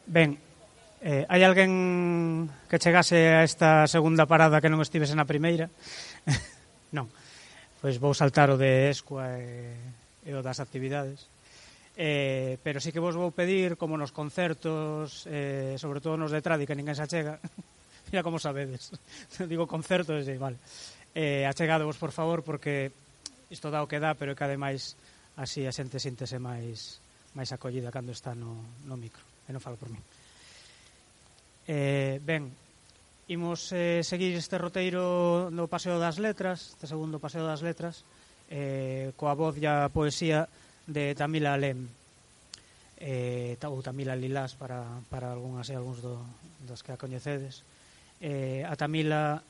Ben, hai alguén que chegase a esta segunda parada que non estivese na primeira? Non. Pois vou saltar o de Escua e o das actividades. Pero sí que vos vou pedir, como nos concertos, sobre todo nos de tradi, que ninguén se achega, mira como sabedes, digo concertos, vale, achegadevos por favor, porque isto dá o que dá, pero que ademais así a xente síntese máis acollida cando está no micro, e non falo por mí. Ben, imos seguir este roteiro no Paseo das Letras, este segundo Paseo das Letras, coa voz e a poesía de Tamila Alem, ou Tamila Lilás para algúns dos que a coñecedes. A Tamila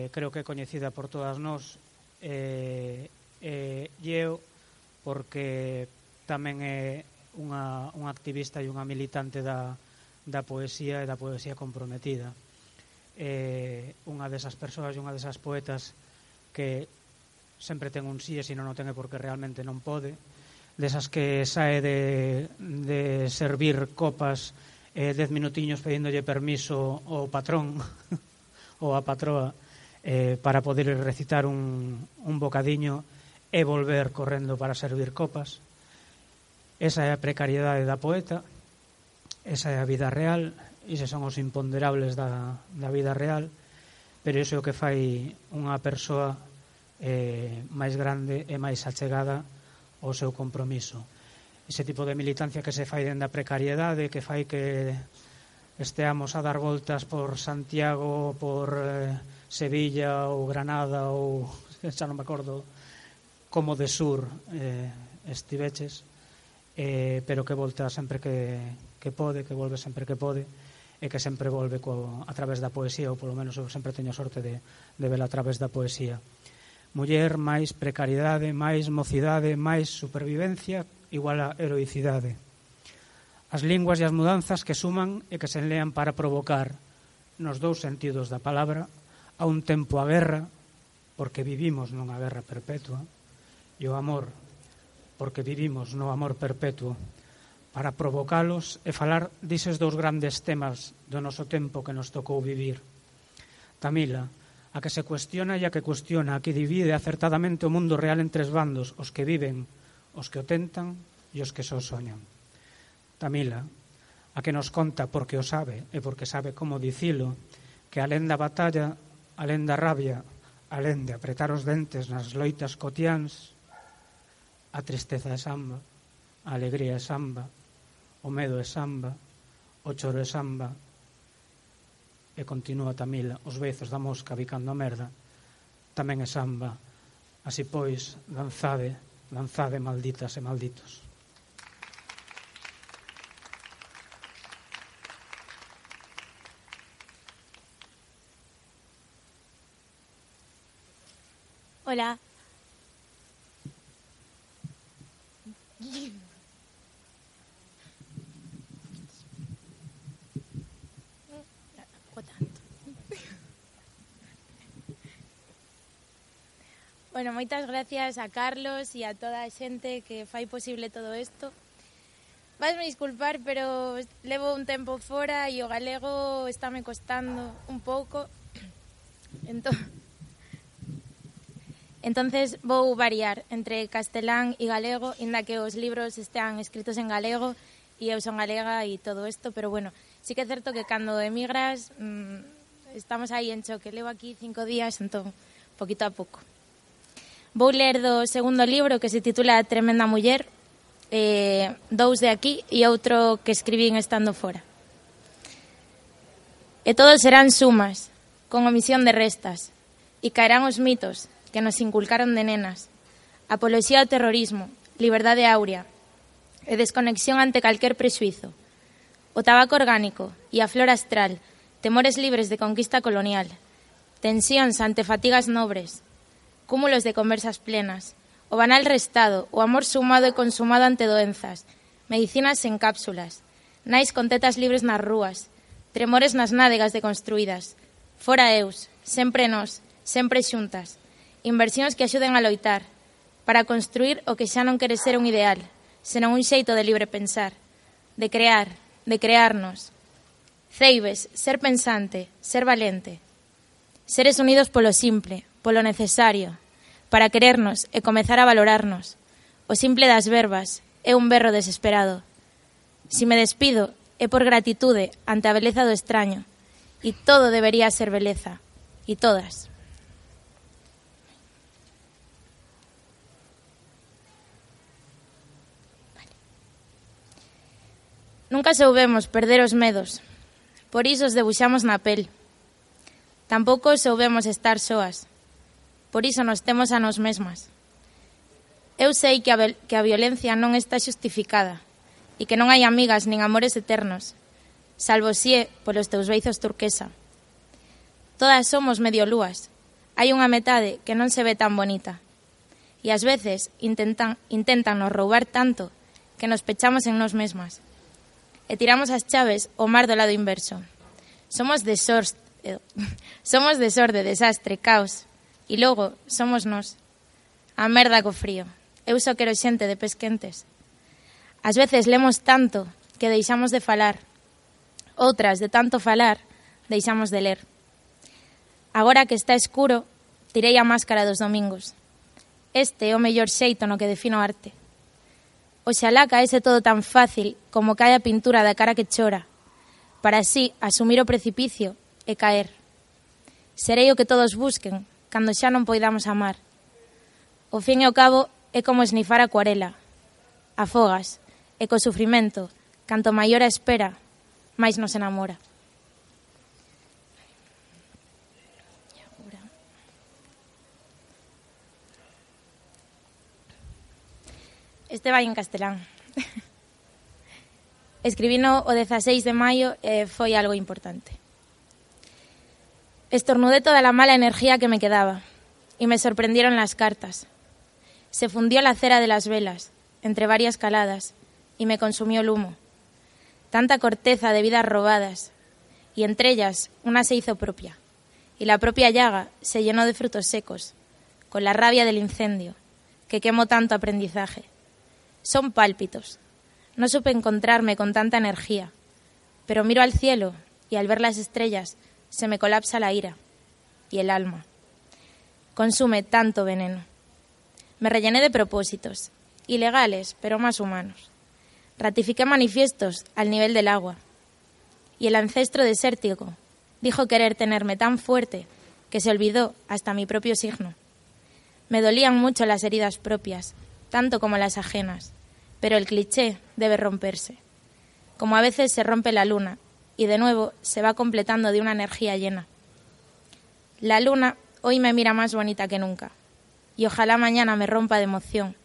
creo que é coñecida por todas nós, e eu porque tamén é unha activista e unha militante da poesía e da poesía comprometida. Unha desas persoas e unha desas poetas que sempre ten un sí e se non o ten é porque realmente non pode, desas que sae de servir copas 10 minutiños pedíndolle permiso ao patrón ou a patroa para poder recitar un bocadiño e volver correndo para servir copas. Esa é a precariedade da poeta, esa é a vida real, eses son os imponderables da vida real, pero iso é o que fai unha persoa máis grande e máis achegada ao seu compromiso. Ese tipo de militancia que se fai dende a precariedade, que fai que esteamos a dar voltas por Santiago, por Sevilla ou Granada ou xa non me acordo como de sur estiveches, pero que volta sempre que pode, que volve sempre que pode, e que sempre volve a través da poesía, ou polo menos eu sempre teño sorte de vela a través da poesía. Muller máis precariedade, máis mocidade, máis supervivencia igual a heroicidade. As linguas e as mudanzas que suman e que se enlean para provocar, nos dous sentidos da palabra, a un tempo a guerra, porque vivimos nunha guerra perpetua, e o amor, porque vivimos no amor perpetuo, para provocalos e falar dises dous grandes temas do noso tempo que nos tocou vivir. Tamila, a que se cuestiona e a que cuestiona, a que divide acertadamente o mundo real en tres bandos, os que viven, os que o tentan e os que só soñan. Tamila, a que nos conta porque o sabe e porque sabe como dicilo, que alén da batalla, alén da rabia, alén de apretar os dentes nas loitas cotiáns, a tristeza é samba, a alegría é samba, o medo é samba, o choro é samba, e continúa Tamila, os beizos da mosca bicando a merda, tamén é samba. Así pois, lanzade, malditas e malditos. Hola. Bueno, moitas gracias a Carlos e a toda a xente que fai posible todo isto. Vasme disculpar, pero levo un tempo fora e o galego estáme costando un pouco. Entonces vou variar entre castelán e galego, inda que os libros estean escritos en galego e eu son galega e todo isto, pero bueno, sí que é certo que cando emigras estamos aí en choque. Levo aquí 5 días, entón, poquito a pouco. Vou ler do segundo libro que se titula Tremenda Muller, 2 de aquí e outro que escribín estando fora. E todos serán sumas, con omisión de restas, e caerán os mitos que nos inculcaron de nenas, apoloxía ao terrorismo, liberdade áurea e desconexión ante calquer prexuizo, o tabaco orgánico e a flor astral, temores libres de conquista colonial, tensións ante fatigas nobres, cúmulos de conversas plenas, o banal restado, o amor sumado e consumado ante doenzas, medicinas en cápsulas, nais con tetas libres nas rúas, tremores nas nádegas deconstruídas, fora eus, sempre nós, sempre xuntas, inversións que axuden a loitar, para construir o que xa non quere ser un ideal, senón un xeito de libre pensar, de crear, de crearnos. Ceibes, ser pensante, ser valente. Seres unidos polo simple, polo necesario, para querernos e comezar a valorarnos. O simple das verbas é un berro desesperado. Si me despido é por gratitude ante a beleza do extraño, e todo debería ser beleza, e todas. Nunca soubemos perder os medos, por iso os debuxamos na pel. Tampouco soubemos estar soas, por iso nos temos a nós mesmas. Eu sei que a violencia non está xustificada e que non hai amigas nin amores eternos, salvo si é polos teus beizos turquesa. Todas somos medio lúas, hai unha metade que non se ve tan bonita e ás veces intentan nos roubar tanto que nos pechamos en nós mesmas e tiramos as chaves ao mar do lado inverso. Somos desorde, desastre, caos e logo somos nós. A merda co frío. Eu só quero xente de pés quentes. Ás veces lemos tanto que deixamos de falar. Outras, de tanto falar, deixamos de ler. Agora que está escuro, tirei a máscara dos domingos. Este é o mellor xeito no que defino arte. Oxalá caese todo tan fácil como cae a pintura da cara que chora, para así asumir o precipicio e caer. Serei o que todos busquen cando xa non poidamos amar. O fin e o cabo é como esnifar acuarela. Afogas, e co sufrimento, canto maior a espera, máis nos enamora. Este vai en castelán. Escribino o 16 de maio e foi algo importante. Estornudé toda la mala energía que me quedaba y me sorprendieron las cartas. Se fundió la cera de las velas, entre varias caladas, y me consumió el humo. Tanta corteza de vidas robadas, y entre ellas una se hizo propia, y la propia llaga se llenó de frutos secos, con la rabia del incendio, que quemó tanto aprendizaje. Son pálpitos. No supe encontrarme con tanta energía, pero miro al cielo y al ver las estrellas se me colapsa la ira y el alma. Consume tanto veneno. Me rellené de propósitos, ilegales pero más humanos. Ratifiqué manifiestos al nivel del agua y el ancestro desértico dijo querer tenerme tan fuerte que se olvidó hasta mi propio signo. Me dolían mucho las heridas propias, tanto como las ajenas, pero el cliché debe romperse. Como a veces se rompe la luna y de nuevo se va completando de una energía llena. La luna hoy me mira más bonita que nunca y ojalá mañana me rompa de emoción.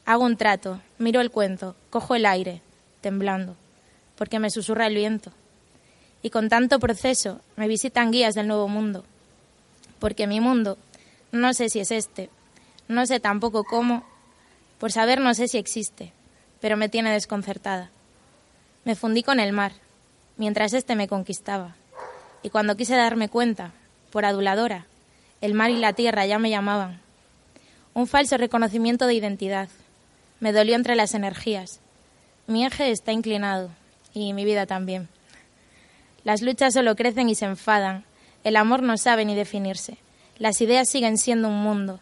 Hago un trato, miro el cuento, cojo el aire, temblando, porque me susurra el viento. Y con tanto proceso me visitan guías del nuevo mundo, porque mi mundo no sé si es este, no sé tampoco cómo. Por saber no sé si existe, pero me tiene desconcertada. Me fundí con el mar, mientras este me conquistaba. Y cuando quise darme cuenta, por aduladora, el mar y la tierra ya me llamaban. Un falso reconocimiento de identidad. Me dolió entre las energías. Mi eje está inclinado, y mi vida también. Las luchas solo crecen y se enfadan. El amor no sabe ni definirse. Las ideas siguen siendo un mundo.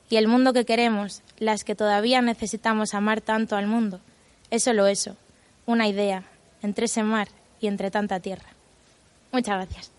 Y el mundo que queremos, las que todavía necesitamos amar tanto al mundo, es solo eso, una idea, entre ese mar y entre tanta tierra. Muchas gracias.